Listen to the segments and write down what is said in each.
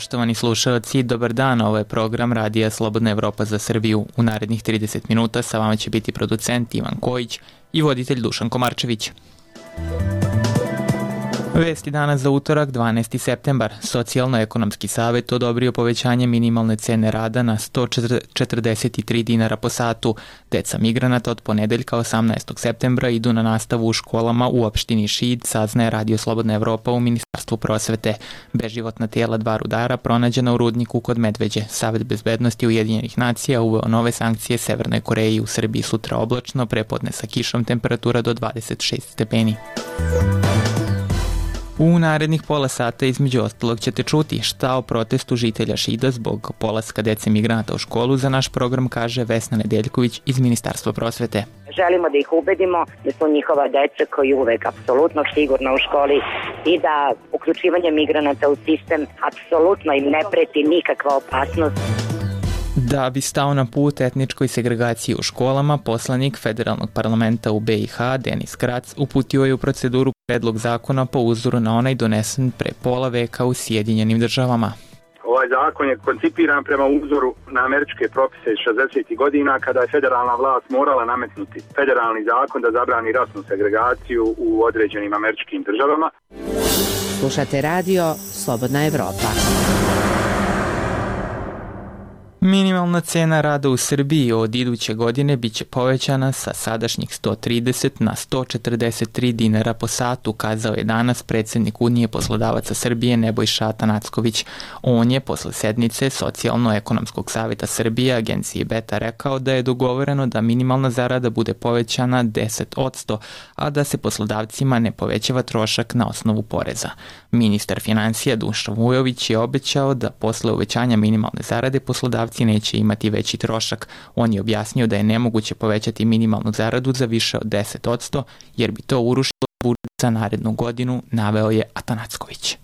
Poštovani slušalci, dobar dan, ovo je program Radija Slobodna Evropa za Srbiju. U narednih 30 minuta sa vama će biti producent Ivan Kojić i voditelj Dušan Komarčević. Vesti danas za utorak, 12. septembar. Socijalno-ekonomski savet odobrio povećanje minimalne cene rada na 143 dinara po satu. Deca migranata od ponedeljka 18. septembra idu na nastavu u školama u opštini Šid, saznaje Radio Slobodna Evropa u Ministarstvu prosvete. Beživotna tijela 2 rudara pronađena u rudniku kod Medveđe. Savet bezbednosti Ujedinjenih nacija uveo nove sankcije Severnoj Koreji. U Srbiji sutra oblačno, prepodne sa kišom, temperatura do 26 stepeni. U narednih pola sata između ostalog ćete čuti šta o protestu žitelja Šida zbog polaska dece migranata u školu. Za naš program kaže Vesna Nedeljković iz Ministarstva prosvete. Želimo da ih ubedimo da su njihova deca koji uvek apsolutno sigurno u školi i da uključivanje migranata u sistem apsolutno im ne preti nikakva opasnost. Da bi stao na put etničkoj segregaciji u školama, poslanik Federalnog parlamenta u BiH, Denis Krac, uputio je u proceduru predlog zakona po uzoru na onaj donesen pre pola veka u Sjedinjenim državama. Ovaj zakon je koncipiran prema uzoru na američke propise iz 60. godina kada je federalna vlast morala nametnuti federalni zakon da zabrani rasnu segregaciju u određenim američkim državama. Slušate radio Slobodna Evropa. Minimalna cena rada u Srbiji od iduće godine biće povećana sa sadašnjih 130 na 143 dinara po satu, kazao je danas predsjednik Unije poslodavaca Srbije Nebojša Atanacković. On je posle sednice Socijalno-ekonomskog saveta Srbije agenciji Beta rekao da je dogovoreno da minimalna zarada bude povećana 10%, a da se poslodavcima ne povećava trošak na osnovu poreza. Ministar financija Dušan Vujović je obećao da posle uvećanja minimalne zarade poslodavci neće imati veći trošak. On je objasnio da je nemoguće povećati minimalnu zaradu za više od 10%, jer bi to urušilo budžet za narednu godinu, naveo je Atanacković.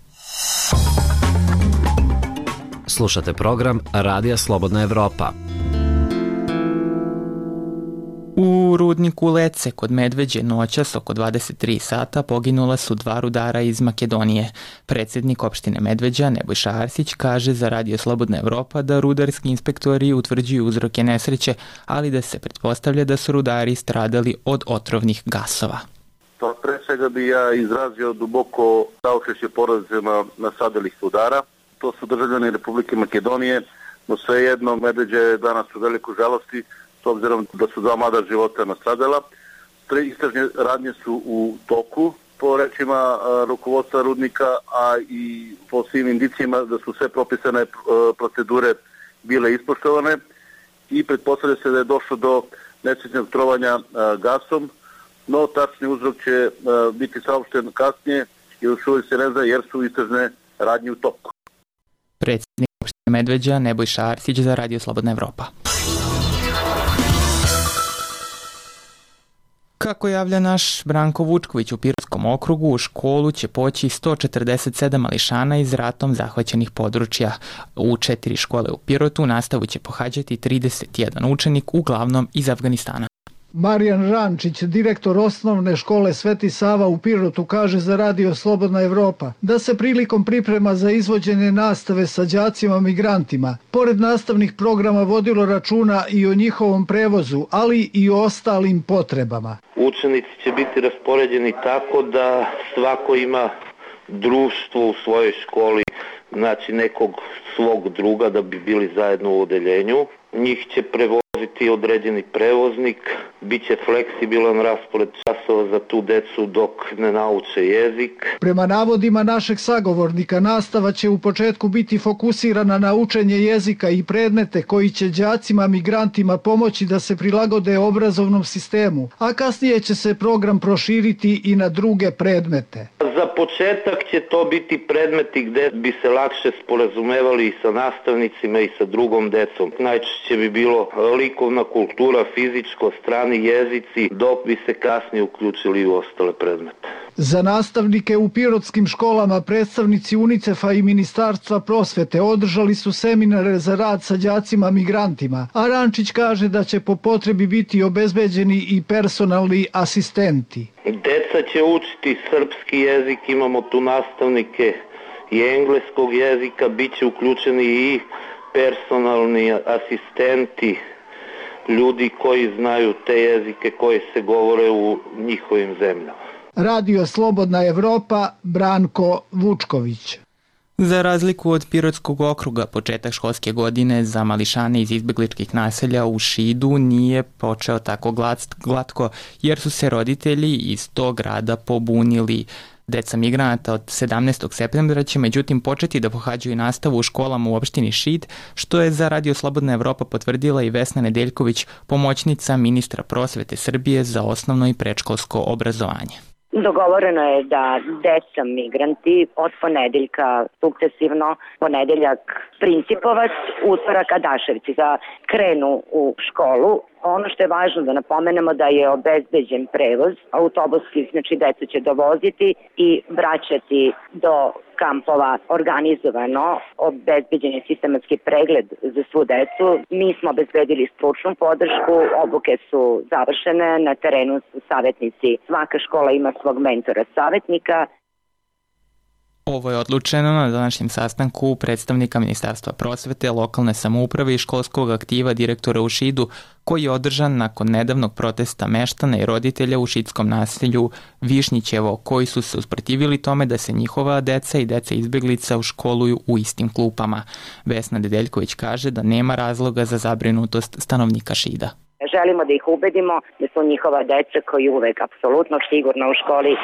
Slušate program Radija Slobodna Evropa. U rudniku Lece kod Medveđe noćas oko 23 sata poginula su 2 rudara iz Makedonije. Predsjednik opštine Medveđa Nebojša Arsić kaže za Radio Slobodna Evropa da rudarski inspektori utvrđuju uzroke nesreće, ali da se pretpostavlja da su rudari stradali od otrovnih gasova. Pa pre svega bi ja izrazio duboko saučešće porodicama nastradalih rudara. To su državljani Republike Makedonije, no svejedno Medveđa je danas u velikoj žalosti s obzirom da su 2 mlada života nastradala. Istražne radnje su u toku, po rečima rukovodstva rudnika, a i po svim indicijama da su sve propisane procedure bile ispoštovane i pretpostavlja se da je došlo do nesrećnog trovanja gasom, no tačni uzrok će biti saopšten kasnije i još uvijek se ne zna jer su istražne radnje u toku. Predsjednik opštine Medveđa Nebojša Arsić za Radio Slobodna Evropa. Kako javlja naš Branko Vučković, u Pirotskom okrugu u školu će poći 147 mališana iz ratom zahvaćenih područja. U 4 škole u Pirotu nastavu će pohađati 31 učenik, uglavnom iz Afganistana. Marijan Rančić, direktor osnovne škole Sveti Sava u Pirotu, kaže za Radio Slobodna Evropa da se prilikom priprema za izvođenje nastave sa đacima migrantima, pored nastavnih programa vodilo računa i o njihovom prevozu, ali i o ostalim potrebama. Učenici će biti raspoređeni tako da svako ima društvo u svojoj školi, znači nekog svog druga da bi bili zajedno u odeljenju. Njih će prevoziti određeni prevoznik, bit će fleksibilan raspored časova za tu decu dok ne nauče jezik. Prema navodima našeg sagovornika, nastava će u početku biti fokusirana na učenje jezika i predmete koji će đacima migrantima pomoći da se prilagode obrazovnom sistemu, a kasnije će se program proširiti i na druge predmete. Za početak će to biti predmeti gde bi se lakše sporazumevali i sa nastavnicima i sa drugom decom. Najčešće bi bilo likovna kultura, fizičko, strani jezici, dok bi se kasnije uključili u ostale predmete. Za nastavnike u pirotskim školama predstavnici UNICEF-a i Ministarstva prosvete održali su seminare za rad sa đacima migrantima, a Rančić kaže da će po potrebi biti obezbeđeni i personalni asistenti. Deca će učiti srpski jezik, imamo tu nastavnike i engleskog jezika, bit će uključeni i personalni asistenti, ljudi koji znaju te jezike koji se govore u njihovim zemljama. Radio Slobodna Evropa, Branko Vučković. Za razliku od Pirotskog okruga, početak školske godine za mališane iz izbegličkih naselja u Šidu nije počeo tako glatko, jer su se roditelji iz tog grada pobunili. Deca migranata od 17. septembra će međutim početi da pohađaju nastavu u školama u opštini Šid, što je za Radio Slobodna Evropa potvrdila i Vesna Nedeljković, pomoćnica ministra prosvete Srbije za osnovno i predškolsko obrazovanje. Dogovoreno je da deca migranti od ponedeljka sukcesivno, ponedeljak Principovac, utorak Adaševci da krenu u školu. Ono što je važno da napomenemo da je obezbeđen prevoz, autobuski, znači decu će dovoziti i vraćati do kampova organizovano, obezbeđen je sistematski pregled za svu decu. Mi smo obezbedili stručnu podršku, obuke su završene, na terenu su savjetnici, svaka škola ima svog mentora savjetnika. Ovo je odlučeno na današnjem sastanku predstavnika Ministarstva prosvete, lokalne samouprave i školskog aktiva direktora u Šidu, koji je održan nakon nedavnog protesta meštana i roditelja u šidskom naselju Višnjićevo, koji su se usprotivili tome da se njihova deca i deca izbeglica školuju u istim klupama. Vesna Nedeljković kaže da nema razloga za zabrinutost stanovnika Šida. Želimo da ih ubedimo da su njihova deca koji uvek apsolutno sigurna u školi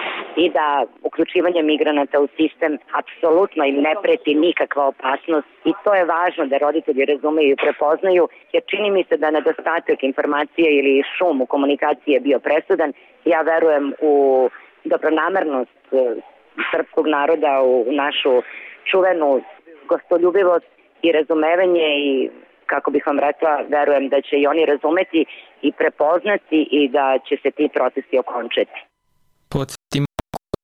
i da uključivanje migranata u sistem apsolutno im ne preti nikakva opasnost i to je važno da roditelji razumeju i prepoznaju, jer čini mi se da nedostatak informacije ili šum u komunikaciji je bio presudan. Ja verujem u dobronamernost srpskog naroda, u našu čuvenu gostoljubivost i razumevanje i kako bih vam rekla, verujem da će i oni razumeti i prepoznati i da će se ti procesi okončati. Podsjetimo,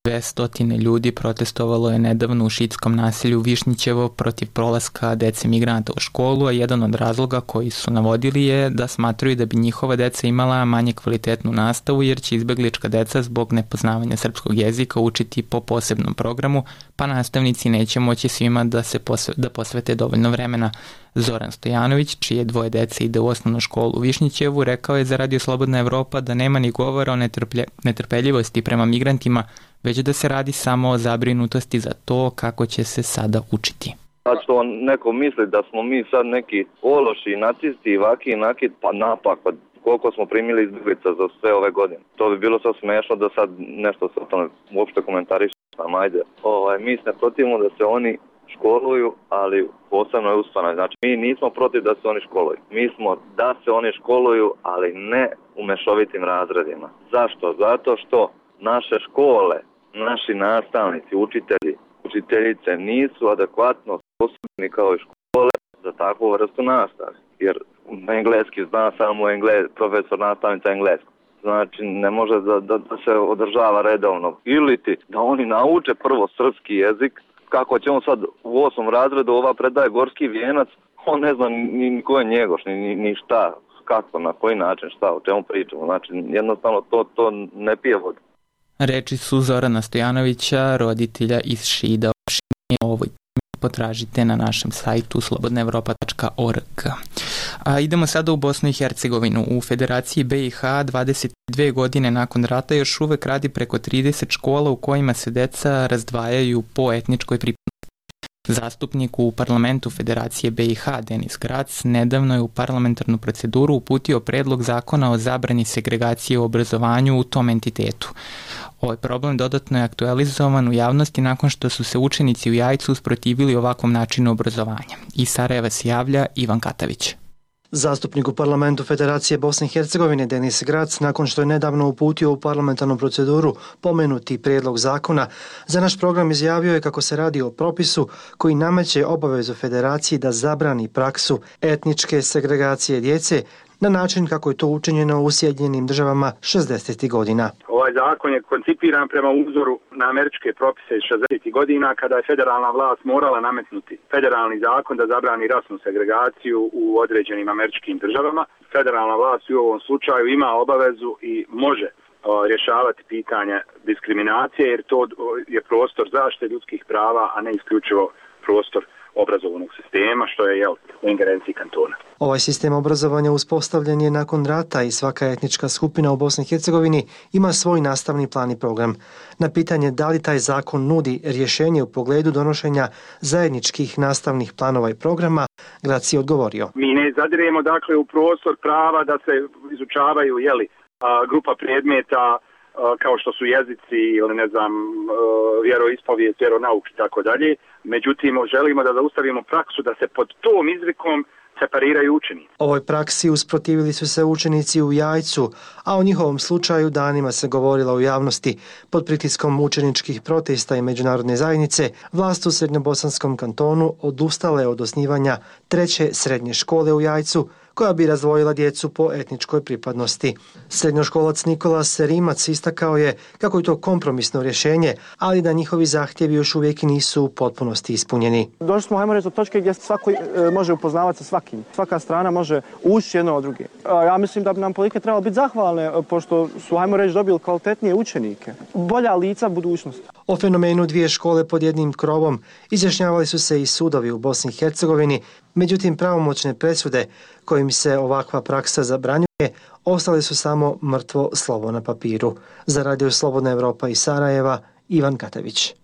200 ljudi protestovalo je nedavno u šidskom naselju Višnjićevo protiv prolaska dece migranata u školu, a jedan od razloga koji su navodili je da smatraju da bi njihova deca imala manje kvalitetnu nastavu, jer će izbeglička deca zbog nepoznavanja srpskog jezika učiti po posebnom programu, pa nastavnici neće moći svima da posvete dovoljno vremena. Zoran Stojanović, čije dvoje dece ide u osnovnu školu u Višnjićevu, rekao je za Radio Slobodna Evropa da nema ni govora o netrpeljivosti prema migrantima, već da se radi samo o zabrinutosti za to kako će se sada učiti. A što neko misli da smo mi sad neki ološi, nacisti, vaki, nakid, pa napak, pa koliko smo primili izbjeglica za sve ove godine. To bi bilo sad smešno da sad nešto se o tome uopšte komentarišem, ajde. Mi se ne protivimo da se oni školuju, ali posebno je ustanovi. Znači, mi nismo protiv da se oni školuju. Mi smo da se oni školuju, ali ne u mešovitim razredima. Zašto? Zato što naše škole, naši nastavnici, učiteljice nisu adekvatno sposobni kao i škole za takvu vrstu nastave. Jer engleski zna samo profesor nastavnica engleskog. Znači, ne može da se održava redovno. Ili ti da oni nauče prvo srpski jezik. Kako će on sad u 8. razredu ova predaje gorski vijenac, on ne zna ni ko je njegoš, ni šta, kako, na koji način, šta, o čemu pričamo. Znači, jednostavno to ne pije vodu. Reči su Zorana Stojanovića, roditelja iz Šida. Ovoj potražite na našem sajtu slobodnaevropa.org. A idemo sada u Bosnu i Hercegovinu. U Federaciji BiH 22 godine nakon rata još uvek radi preko 30 škola u kojima se deca razdvajaju po etničkoj pripadnosti. Zastupnik u parlamentu Federacije BiH Denis Grac nedavno je u parlamentarnu proceduru uputio predlog zakona o zabrani segregacije u obrazovanju u tom entitetu. Ovaj problem dodatno je aktualizovan u javnosti nakon što su se učenici u Jajcu usprotivili ovakvom načinu obrazovanja. Iz Sarajeva se javlja Ivan Katavić. Zastupnik u parlamentu Federacije Bosne i Hercegovine Denis Grac, nakon što je nedavno uputio u parlamentarnu proceduru pomenuti prijedlog zakona, za naš program izjavio je kako se radi o propisu koji nameće obavezu Federaciji da zabrani praksu etničke segregacije djece na način kako je to učinjeno u Sjedinjenim Državama 60. godina. Ovaj zakon je koncipiran prema uzoru na američke propise iz 60. godina kada je federalna vlast morala nametnuti federalni zakon da zabrani rasnu segregaciju u određenim američkim državama. Federalna vlast u ovom slučaju ima obavezu i može rješavati pitanja diskriminacije, jer to je prostor zaštite ljudskih prava, a ne isključivo prostor obrazovnog sistema, što je u ingerenciji kantona. Ovaj sistem obrazovanja uspostavljen je nakon rata i svaka etnička skupina u Bosni i Hercegovini ima svoj nastavni plan i program. Na pitanje da li taj zakon nudi rješenje u pogledu donošenja zajedničkih nastavnih planova i programa, Grac je odgovorio. Mi ne zadiremo dakle u prostor prava da se izučavaju grupa predmeta kao što su jezici ili vjeroispovijest, vjeronauk i tako dalje. Međutim, želimo da zaustavimo praksu da se pod tom izrikom separiraju učenici. Ovoj praksi usprotivili su se učenici u Jajcu, a o njihovom slučaju danima se govorilo u javnosti. Pod pritiskom učeničkih protesta i međunarodne zajednice, vlast u Srednjobosanskom kantonu odustale od osnivanja 3. srednje škole u Jajcu, koja bi razdvojila djecu po etničkoj pripadnosti. Srednjoškolac Nikola Serimac istakao je kako je to kompromisno rješenje, ali da njihovi zahtjevi još uvijek nisu u potpunosti ispunjeni. Došli smo, hajmo reći, do točke gdje svako može upoznavati sa svakim. Svaka strana može ući jedno od druge. Ja mislim da bi nam politike trebalo biti zahvalne, pošto su, hajmo reći, dobili kvalitetnije učenike. Bolja lica budućnosti. O fenomenu 2 škole pod jednim krovom izjašnjavali su se i sudovi u Bosni i Hercegovini, međutim pravomoćne presude kojim se ovakva praksa zabranjuje ostale su samo mrtvo slovo na papiru. Za Radio Slobodna Evropa iz Sarajeva, Ivan Katević.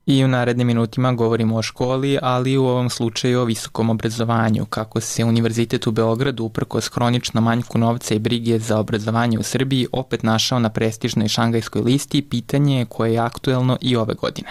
I u narednim minutima govorimo o školi, ali u ovom slučaju o visokom obrazovanju. Kako se Univerzitet u Beogradu uprkos hroničnom manjku novca i brige za obrazovanje u Srbiji opet našao na prestižnoj šangajskoj listi, pitanje je koje je aktuelno i ove godine.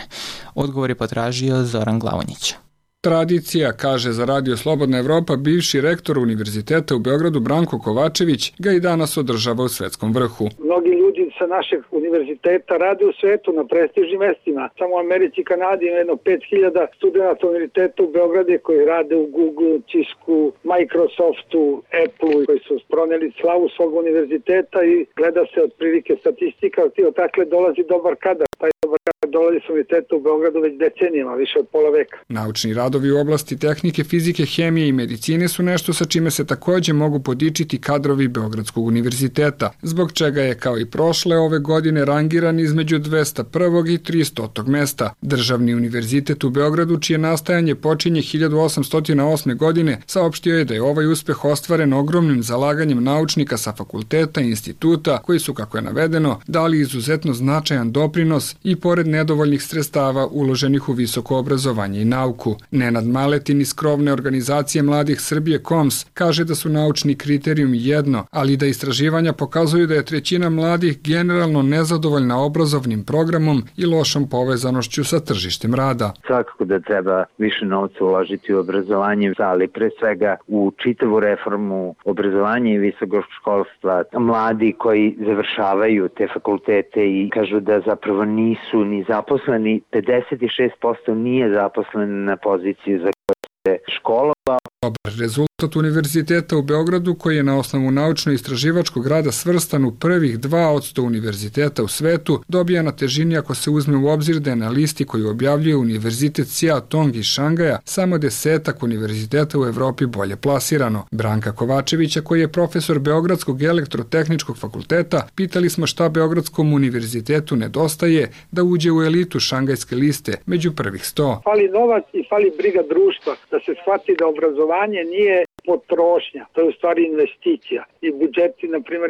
Odgovor je potražio Zoran Glavonjić. Tradicija, kaže za Radio Slobodna Evropa bivši rektor Univerziteta u Beogradu Branko Kovačević, ga i danas održava u svetskom vrhu. Mnogi ljudi sa našeg univerziteta rade u svetu na prestižnim mestima. Samo u Americi i Kanadi ima jedno 5000 studenta univerziteta u Beogradu koji rade u Google, Cisku, Microsoftu, Apple, koji su proneli slavu svog univerziteta i gleda se otprilike statistika, odakle dolazi dobar kadar. Taj dobar kadar dolazi s univerziteta u Beogradu već decenijama, više od pola veka. Naučni radovi u oblasti tehnike, fizike, hemije i medicine su nešto sa čime se također mogu podičiti kadrovi Beogradskog univerziteta, zbog čega je kao i prošle ove godine rangiran između 201. i 300. mesta. Državni univerzitet u Beogradu, čije nastajanje počinje 1808. godine, saopštio je da je ovaj uspeh ostvaren ogromnim zalaganjem naučnika sa fakulteta i instituta, koji su, kako je navedeno, dali izuzetno značajan doprinos i pored nedovoljnih sredstava uloženih u visoko obrazovanje i nauku. Nenad Maletin iz krovne organizacije Mladih Srbije KOMS kaže da su naučni kriterijum jedno, ali da istraživanja pokazuju da je 1/3 mladih generalno nezadovoljna obrazovnim programom i lošom povezanošću sa tržištem rada. Svakako da treba više novca uložiti u obrazovanje, ali pre svega u čitavu reformu obrazovanja i visokog školstva. Mladi koji završavaju te fakultete i kažu da zapravo nisu ni zaposleni, 56% nije zaposlen na poziciji za koje se školovao. Dobar rezultat Univerziteta u Beogradu, koji je na osnovu naučno-istraživačkog rada svrstan u prvih 2% univerziteta u svetu, dobija na težini ako se uzme u obzir da je na listi koju objavljuje Univerzitet Seatong iz Šangaja samo 10 univerziteta u Evropi bolje plasirano. Branka Kovačevića, koji je profesor Beogradskog elektrotehničkog fakulteta, pitali smo šta Beogradskom univerzitetu nedostaje da uđe u elitu šangajske liste među prvih 100. Fali novac i fali briga društva, da se shvati da obrazovanje nije potrošnja, to je u stvari investicija. I budžeti, na primjer,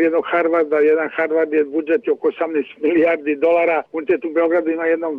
jedan Harvard je budžet oko 18 milijardi dolara, univerzitet u Beogradu ima jednom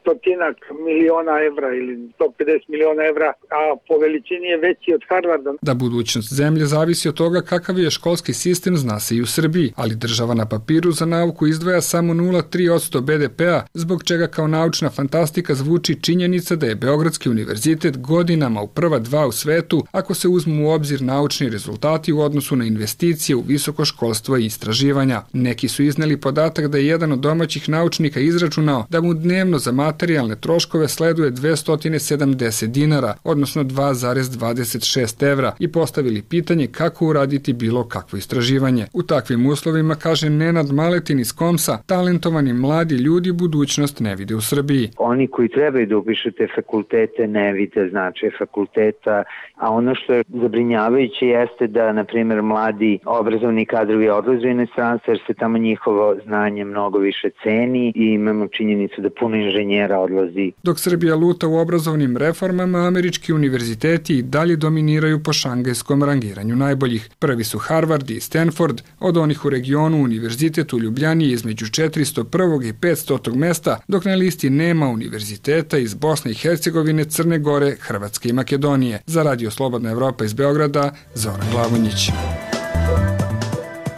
100 miliona evra ili 150 miliona evra, a po veličini je veći od Harvarda. Da budućnost zemlje zavisi od toga kakav je školski sistem, zna se i u Srbiji, ali država na papiru za nauku izdvaja samo 0,3% BDP-a, zbog čega kao naučna fantastika zvuči činjenica da je Beogradski univerzitet godinama u prva 2 u svetu, ako se uzmu u obzir naučni rezultati u odnosu na investicije u visoko školstvo i istraživanja. Neki su izneli podatak da je jedan od domaćih naučnika izračunao da mu dnevno za materijalne troškove sleduje 270 dinara, odnosno 2,26 evra, i postavili pitanje kako uraditi bilo kakvo istraživanje. U takvim uslovima, kaže Nenad Maletin iz KOMS-a, talentovani mladi ljudi budućnost ne vide u Srbiji. Oni koji trebaju da upišu te fakultete ne vide značaj fakulteta, a ono što je zabrinjavajuće zabrinjavajuće jeste da, na primjer, mladi obrazovni kadrovi odlaze u inostranstvo jer se tamo njihovo znanje mnogo više ceni i imamo činjenicu da puno inženjera odlazi. Dok Srbija luta u obrazovnim reformama, američki univerziteti i dalje dominiraju po šangajskom rangiranju najboljih. Prvi su Harvard i Stanford, od onih u regionu Univerzitet u Ljubljani je između 401. i 500. mesta, dok na listi nema univerziteta iz Bosne i Hercegovine, Crne Gore, Hrvatske i Makedonije. Za Radio Slobodna Evropa iz Beograda, Zoran Glavonjić.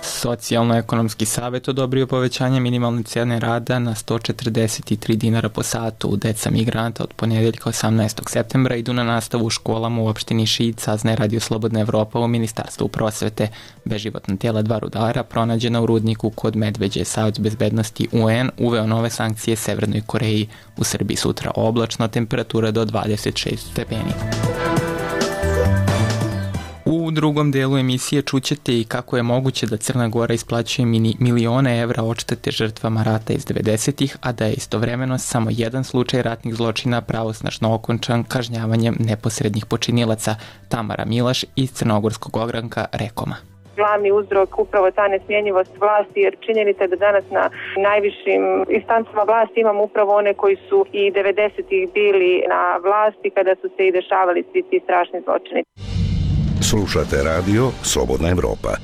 Socijalno-ekonomski savjet odobrio povećanje minimalne cijene rada na 143 dinara po satu. Deca migranata od ponedjeljka 18. septembra idu na nastavu u školama u opštini Šid, saznaje Radio Slobodna Evropa u Ministarstvu prosvete. Beživotna tijela 2 rudara pronađena u rudniku kod Medveđe. Savet bezbednosti UN uveo nove sankcije Severnoj Koreji. U Srbiji sutra oblačno, temperatura do 26 stepeni. U drugom delu emisije čućete i kako je moguće da Crna Gora isplaćuje milione evra odštete žrtvama rata iz 90-ih, a da je istovremeno samo jedan slučaj ratnih zločina pravosnažno okončan kažnjavanjem neposrednih počinilaca. Tamara Milaš iz crnogorskog ogranka Rekoma. Glavni uzrok upravo ta nesmjenjivost vlasti, jer činjenica je da danas na najvišim instancama vlasti imamo upravo one koji su i 90-ih bili na vlasti kada su se i dešavali svi ti strašni zločini. Slušate radio Slobodna Evropa.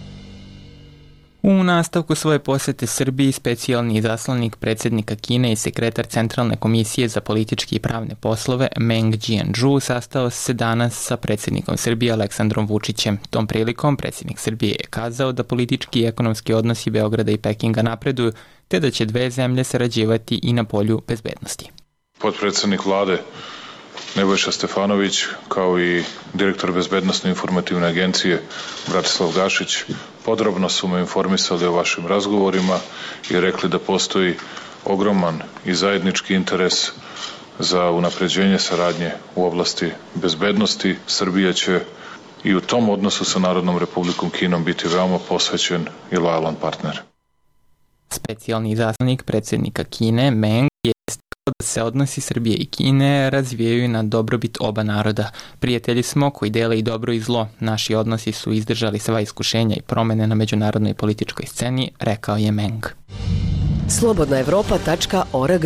U nastavku svoje posete Srbiji specijalni izaslanik predsjednika Kine i sekretar Centralne komisije za političke i pravne poslove Meng Jianzhu sastao se danas sa predsjednikom Srbije Aleksandrom Vučićem. Tom prilikom predsjednik Srbije je kazao da politički i ekonomski odnosi Beograda i Pekinga napreduju, te da će dve zemlje sarađivati i na polju bezbednosti. Potpredsjednik vlade Nebojša Stefanović, kao i direktor Bezbednosno informativne agencije Bratislav Gašić, podrobno su me informisali o vašim razgovorima i rekli da postoji ogroman i zajednički interes za unapređenje saradnje u oblasti bezbednosti. Srbija će i u tom odnosu sa Narodnom Republikom Kinom biti veoma posvećen i lojalan partner. Specijalni izaslanik predsjednika Kine Meng je da se odnosi Srbije i Kine razvijaju na dobrobit oba naroda. Prijatelji smo koji dele i dobro i zlo. Naši odnosi su izdržali sva iskušenja i promene na međunarodnoj političkoj sceni, rekao je Meng. Slobodnaevropa.org.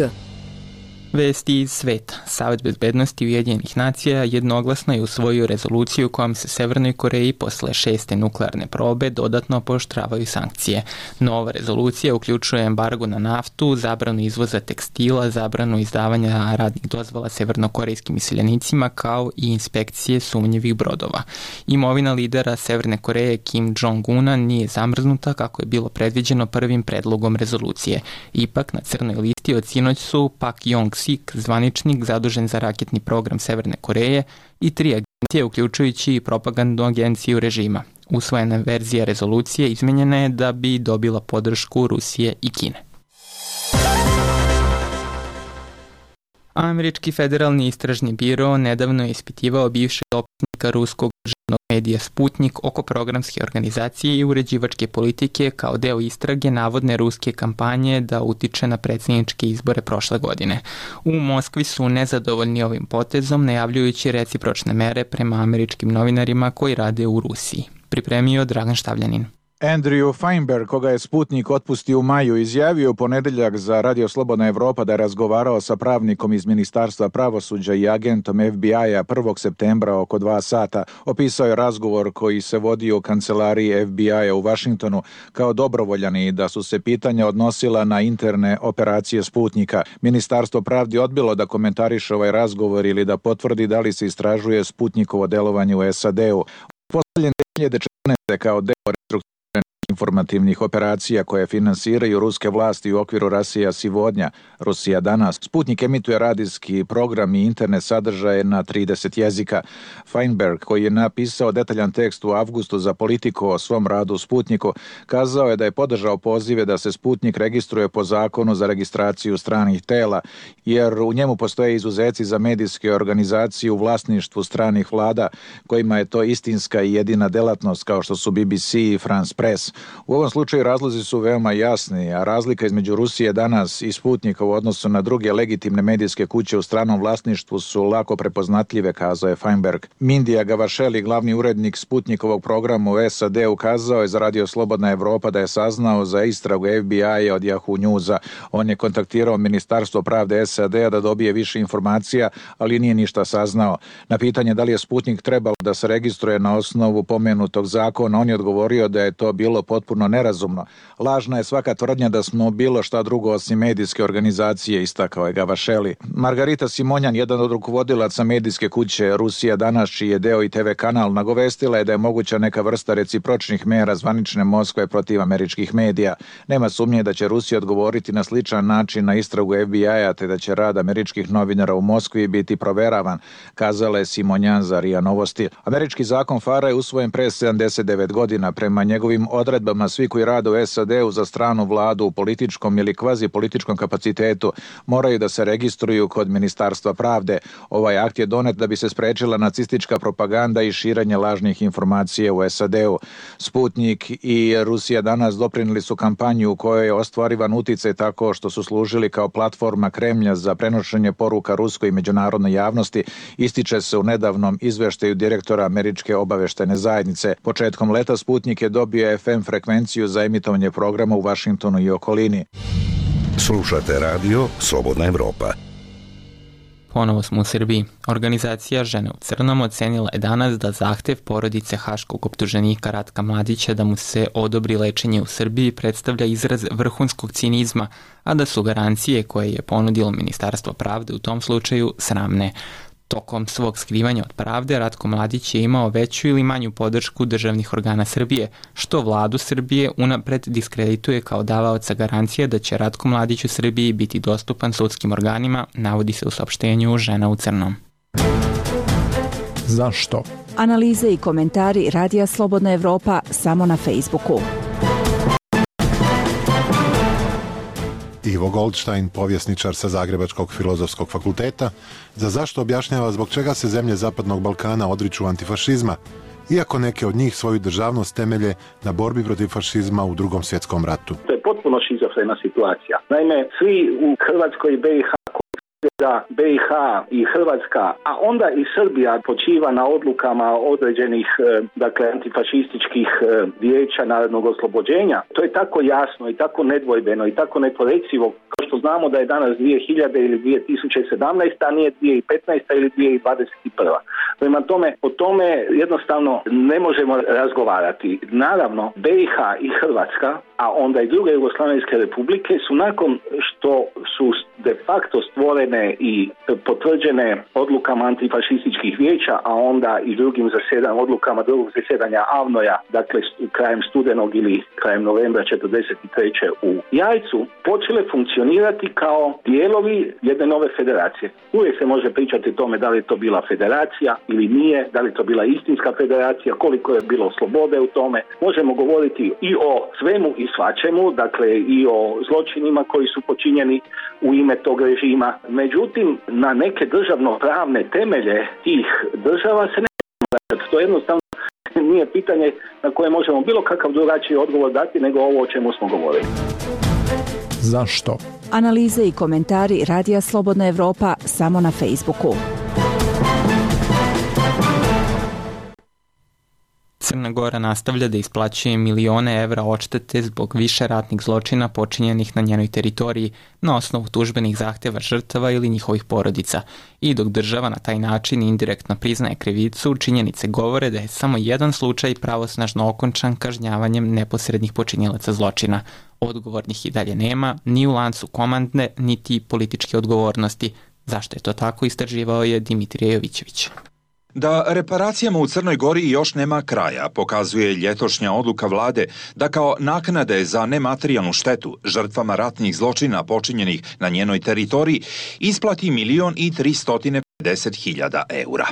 Vesti iz sveta. Savet bezbednosti Ujedinjenih nacija jednoglasno je usvojio rezoluciju kojom se Severnoj Koreji posle 6. nuklearne probe dodatno pooštravaju sankcije. Nova rezolucija uključuje embargo na naftu, zabranu izvoza tekstila, zabranu izdavanja radnih dozvola severnokorejskim iseljenicima kao i inspekcije sumnjivih brodova. Imovina lidera Severne Koreje Kim Jong-una nije zamrznuta kako je bilo predviđeno prvim predlogom rezolucije. Ipak na crnoj listi od sinoć su Pak Yong-sik, zvaničnik zadužen za raketni program Severne Koreje, i 3 agencije, uključujući i propagandnu agenciju režima. Usvojena verzija rezolucije izmenjena je da bi dobila podršku Rusije i Kine. Američki federalni istražni biro nedavno je ispitivao bivšeg dopisnika ruskog državnog medija Sputnik oko programske organizacije i uređivačke politike kao deo istrage navodne ruske kampanje da utiče na predsjedničke izbore prošle godine. U Moskvi su nezadovoljni ovim potezom, najavljujući recipročne mere prema američkim novinarima koji rade u Rusiji. Pripremio Dragan Štavljanin. Andrew Feinberg, koga je Sputnik otpustio u maju, izjavio u ponedjeljak za Radio Slobodna Evropa da je razgovarao sa pravnikom iz Ministarstva pravosuđa i agentom FBI-a 1. septembra oko 2 sata. Opisao je razgovor koji se vodio u kancelariji FBI-a u Vašingtonu kao dobrovoljan i da su se pitanja odnosila na interne operacije Sputnika. Ministarstvo pravdi odbilo da komentariše ovaj razgovor ili da potvrdi da li se istražuje Sputnikovo delovanje u SAD-u. Postavljen 2014. kao deo informativnih operacija koje finansiraju ruske vlasti u okviru Rasija Sivodnja, Rusija danas. Sputnik emituje radijski program i internet sadržaje na 30 jezika. Feinberg, koji je napisao detaljan tekst u avgustu za Politiku o svom radu u Sputniku, kazao je da je podržao pozive da se Sputnik registruje po zakonu za registraciju stranih tela, jer u njemu postoje izuzeci za medijske organizacije u vlasništvu stranih vlada, kojima je to istinska i jedina delatnost kao što su BBC i France Press. U ovom slučaju razlozi su veoma jasni, a razlika između Rusije danas i Sputnika u odnosu na druge legitimne medijske kuće u stranom vlasništvu su lako prepoznatljive, kazao je Feinberg. Mindija Gavašeli, glavni urednik Sputnikovog programa u SAD, ukazao je za Radio Slobodna Evropa da je saznao za istragu FBI-a od Yahoo Newsa. On je kontaktirao Ministarstvo pravde SAD-a da dobije više informacija, ali nije ništa saznao. Na pitanje da li je Sputnik trebalo da se registruje na osnovu pomenutog zakona, on je odgovorio da je to bilo potpuno nerazumno. Lažna je svaka tvrdnja da smo bilo šta drugo osim medijske organizacije, istakao je Gavašeli. Margarita Simonjan, jedan od rukovodilaca medijske kuće Rusija danas, čiji je deo i TV kanal, nagovestila je da je moguća neka vrsta recipročnih mera zvanične Moskve protiv američkih medija. Nema sumnje da će Rusija odgovoriti na sličan način na istragu FBI-a, te da će rad američkih novinara u Moskvi biti proveravan, kazala je Simonjan za RIA Novosti. Američki zakon FARA je usvojen pre 79 godina. Prema njegovim odredbama svi koji rade u SAD-u za stranu vladu u političkom ili kvazi političkom kapacitetu moraju da se registruju kod Ministarstva pravde. Ovaj akt je donet da bi se sprečila nacistička propaganda i širenje lažnih informacija u SAD-u. Sputnik i Rusija danas doprinijeli su kampanju u kojoj je ostvarivan uticaj tako što su služili kao platforma Kremlja za prenošenje poruka ruskoj i međunarodnoj javnosti, ističe se u nedavnom izveštaju direktora Američke obaveštajne zajednice. Početkom leta Sputnik je dobio FM frekvenciju za emitovanje programa u Vašingtonu i okolini. Slušate radio Slobodna Evropa. Ponovo smo u Srbiji. Organizacija Žene u crnom ocenila je danas da zahtev porodice haškog optuženika Ratka Mladića da mu se odobri lečenje u Srbiji predstavlja izraz vrhunskog cinizma, a da su garancije koje je ponudilo Ministarstvo pravde u tom slučaju sramne. Tokom svog skrivanja od pravde, Ratko Mladić je imao veću ili manju podršku državnih organa Srbije, što vladu Srbije unapred diskredituje kao davaoca garancije da će Ratko Mladić u Srbiji biti dostupan sudskim organima, navodi se u saopštenju Žena u crnom. Zašto? Analize i komentari Radija Slobodna Evropa samo na Facebooku. Ivo Goldstein, povjesničar sa Zagrebačkog filozofskog fakulteta, za zašto objašnjava zbog čega se zemlje Zapadnog Balkana odriču antifašizma, iako neke od njih svoju državnost temelje na borbi protiv fašizma u Drugom svjetskom ratu. To je potpuno šizofrena situacija. Naime, svi u Hrvatskoj i BiH da BiH i Hrvatska, a onda i Srbija počiva na odlukama određenih antifašističkih vijeća narodnog oslobođenja. To je tako jasno i tako nedvojbeno i tako neporecivo, kao što znamo da je danas 2000 ili 2017, a nije 2015 ili 2021. Prema tome, o tome jednostavno ne možemo razgovarati. Naravno, BiH i Hrvatska, a onda i druge jugoslavenske republike su nakon što su de facto stvorene i potvrđene odlukama antifašističkih vijeća, a onda i drugim odlukama drugog zasjedanja AVNOJ-a, dakle krajem studenog ili krajem novembra 1943. u Jajcu, počele funkcionirati kao dijelovi jedne nove federacije. Uvijek se može pričati o tome da li je to bila federacija ili nije, da li je to bila istinska federacija, koliko je bilo slobode u tome. Možemo govoriti i o svemu i svačemu, dakle i o zločinima koji su počinjeni u ime tog režima. Međutim, na neke državno-pravne temelje tih država se ne može. To jednostavno nije pitanje na koje možemo bilo kakav drugačiji odgovor dati nego ovo o čemu smo govorili. Zašto? Analize i komentari Radija Slobodna Evropa samo na Facebooku. Crna Gora nastavlja da isplaćuje milione evra odštete zbog više ratnih zločina počinjenih na njenoj teritoriji na osnovu tužbenih zahteva žrtava ili njihovih porodica. I dok država na taj način indirektno priznaje krivicu, činjenice govore da je samo jedan slučaj pravosnažno okončan kažnjavanjem neposrednih počinjelaca zločina. Odgovornih i dalje nema, ni u lancu komandne, niti političke odgovornosti. Zašto je to tako, istraživao je Dimitrije Jovićević. Da reparacijama u Crnoj Gori još nema kraja, pokazuje ljetošnja odluka vlade da kao naknade za nematerijalnu štetu žrtvama ratnih zločina počinjenih na njenoj teritoriji isplati 1.350.000 eura.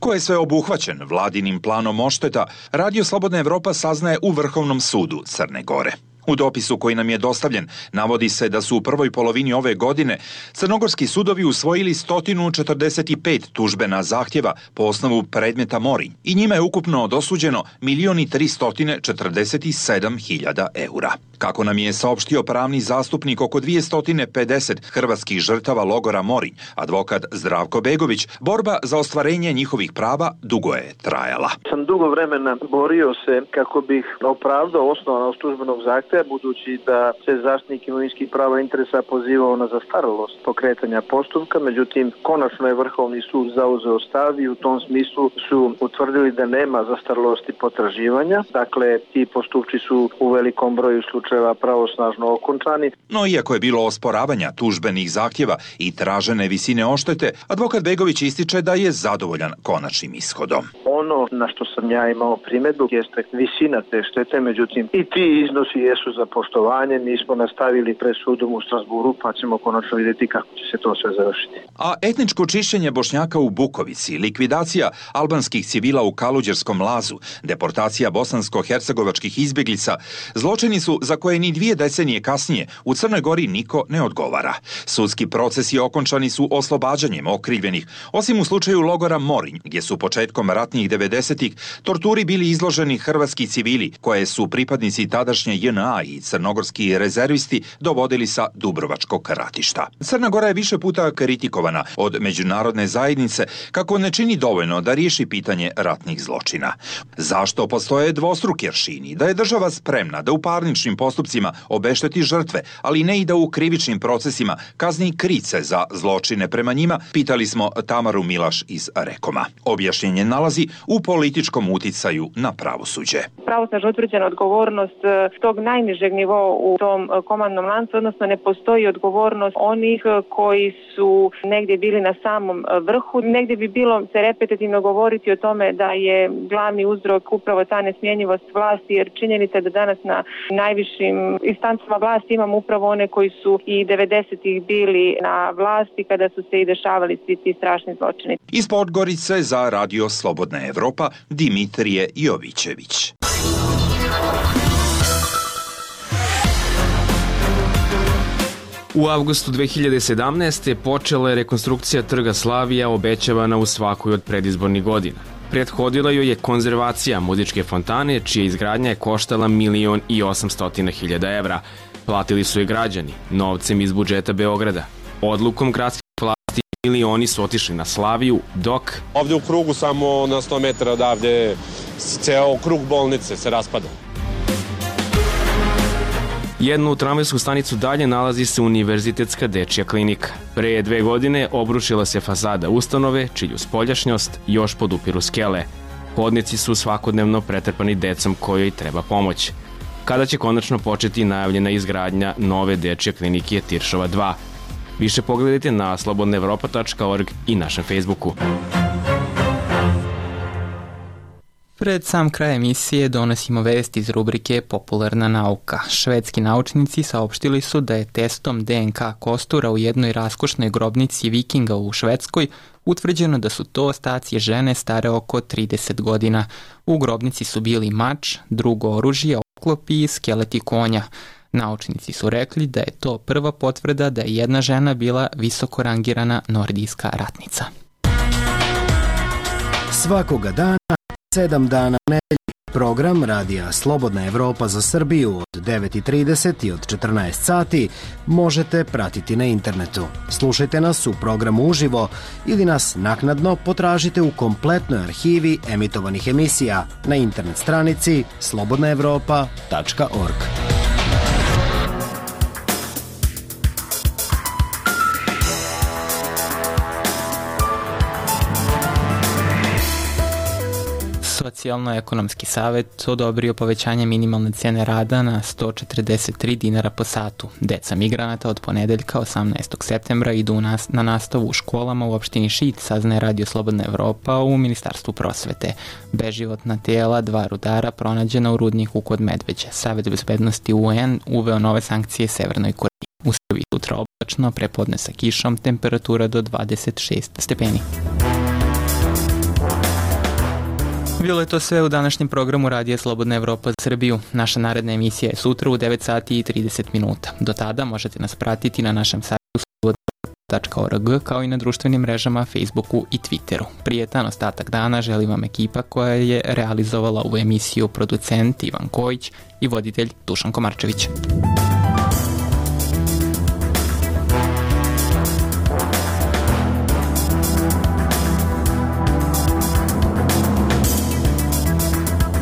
Ko je sve obuhvaćen vladinim planom odšteta, Radio Slobodna Evropa saznaje u Vrhovnom sudu Crne Gore. U dopisu koji nam je dostavljen navodi se da su u prvoj polovini ove godine crnogorski sudovi usvojili 145 tužbena zahtjeva po osnovu predmeta Morinj i njima je ukupno dosuđeno 1.347.000 eura. Kako nam je saopštio pravni zastupnik oko 250 hrvatskih žrtava logora Morinj, advokat Zdravko Begović, borba za ostvarenje njihovih prava dugo je trajala. Sam dugo vremena borio se kako bih opravdao osnovanost tužbenog zahtjeva, budući da se zaštitnik imovinskih prava i interesa pozivao na zastarelost pokretanja postupka, međutim konačno je Vrhovni sud zauzeo stav i u tom smislu su utvrdili da nema zastarelosti potraživanja. Dakle, ti postupci su u velikom broju slučajeva pravosnažno okončani. No, iako je bilo osporavanja tužbenih zahtjeva i tražene visine odštete, advokat Begović ističe da je zadovoljan konačnim ishodom. Ono na što sam ja imao primjedbu jeste visina te štete, međutim i ti iznosi jesu za poštovanje. Mi smo nastavili pred sudom u Strasburu, pa ćemo konačno vidjeti kako će se to sve završiti. A etničko čišćenje Bošnjaka u Bukovici, likvidacija albanskih civila u Kaluđerskom Lazu, deportacija bosansko-hercegovačkih izbjeglica, zločini su za koje ni 2 decenije kasnije u Crnoj Gori niko ne odgovara. Sudski procesi okončani su oslobađanjem okrivljenih, osim u slučaju logora Morinj, gdje su početkom ratnih 90-ih torturi bili izloženi hrvatski civili, koje su pripadnici tadašnje JNA i crnogorski rezervisti dovodili sa Dubrovačkog ratišta. Crna Gora je više puta kritikovana od međunarodne zajednice kako ne čini dovoljno da riješi pitanje ratnih zločina. Zašto postoje dvostruki aršini? Da je država spremna da u parničnim postupcima obešteti žrtve, ali ne i da u krivičnim procesima kazni krice za zločine prema njima, pitali smo Tamaru Milaš iz Rekoma. Objašnjenje nalazi u političkom uticaju na pravosuđe. Pravosnažno utvrđena odgovornost tog najnižeg nivoa u tom komandnom lancu, odnosno ne postoji odgovornost onih koji su negdje bili na samom vrhu. Negdje bi bilo se repetitivno govoriti o tome da je glavni uzrok upravo ta nesmjenjivost vlasti, jer činjenica je da danas na najvišim instancama vlasti imamo upravo one koji su i 90-ih bili na vlasti kada su se i dešavali svi ti strašni zločini. Iz Podgorice za Radio Slobodna Evropa Dimitrije Jovićević. U avgustu 2017. počela je rekonstrukcija Trga Slavija obećavana u svakoj od predizbornih godina. Prethodila joj je konzervacija Muzičke fontane, čija izgradnja je koštala 1.800.000 evra. Platili su je građani, novcem iz budžeta Beograda. Odlukom gradskih vlasti milioni su otišli na Slaviju, dok... Ovdje u krugu, samo na 100 metara odavde, ceo krug bolnice se raspada. Jednu tramvajsku stanicu dalje nalazi se Univerzitetska dečja klinika. Pre 2 godine obrušila se fasada ustanove, čiju spoljašnjost još podupiru skele. Hodnici su svakodnevno pretrpani decom kojoj treba pomoć. Kada će konačno početi najavljena izgradnja nove dečje klinike Tiršova 2? Više pogledajte na slobodnaevropa.org i našem Facebooku. Pred sam kraj emisije donosimo vesti iz rubrike Popularna nauka. Švedski naučnici saopštili su da je testom DNK kostura u jednoj raskošnoj grobnici vikinga u Švedskoj utvrđeno da su to ostaci žene stare oko 30 godina. U grobnici su bili mač, drugo oružje, oklopi i skeleti konja. Naučnici su rekli da je to prva potvrda da je jedna žena bila visoko rangirana nordijska ratnica. Svakoga dana 7 dana u nedelji. Program Radija Slobodna Evropa za Srbiju od 9.30 i od 14 sati možete pratiti na internetu. Slušajte nas u programu uživo ili nas naknadno potražite u kompletnoj arhivi emitovanih emisija na internet stranici slobodnaevropa.org. Socijalno-ekonomski savjet odobrio povećanje minimalne cijene rada na 143 dinara po satu. Deca migranata od ponedeljka 18. septembra idu na nastavu u školama u opštini Šid, saznaje Radio Slobodna Evropa u Ministarstvu prosvete. Beživotna tela 2 rudara pronađena u rudniku kod Medveđe. Savet bezbednosti UN uveo nove sankcije Severnoj Koreji. U Srbiji sutra oblačno, prepodne sa kišom, temperatura do 26 stepeni. Bilo je to sve u današnjem programu Radija Slobodna Evropa za Srbiju. Naša naredna emisija je sutra u 9 sati i 30 minuta. Do tada možete nas pratiti na našem sajtu slobodna.org kao i na društvenim mrežama Facebooku i Twitteru. Prijetan ostatak dana želi vam ekipa koja je realizovala ovu emisiju, producent Ivan Kojić i voditelj Dušan Komarčević.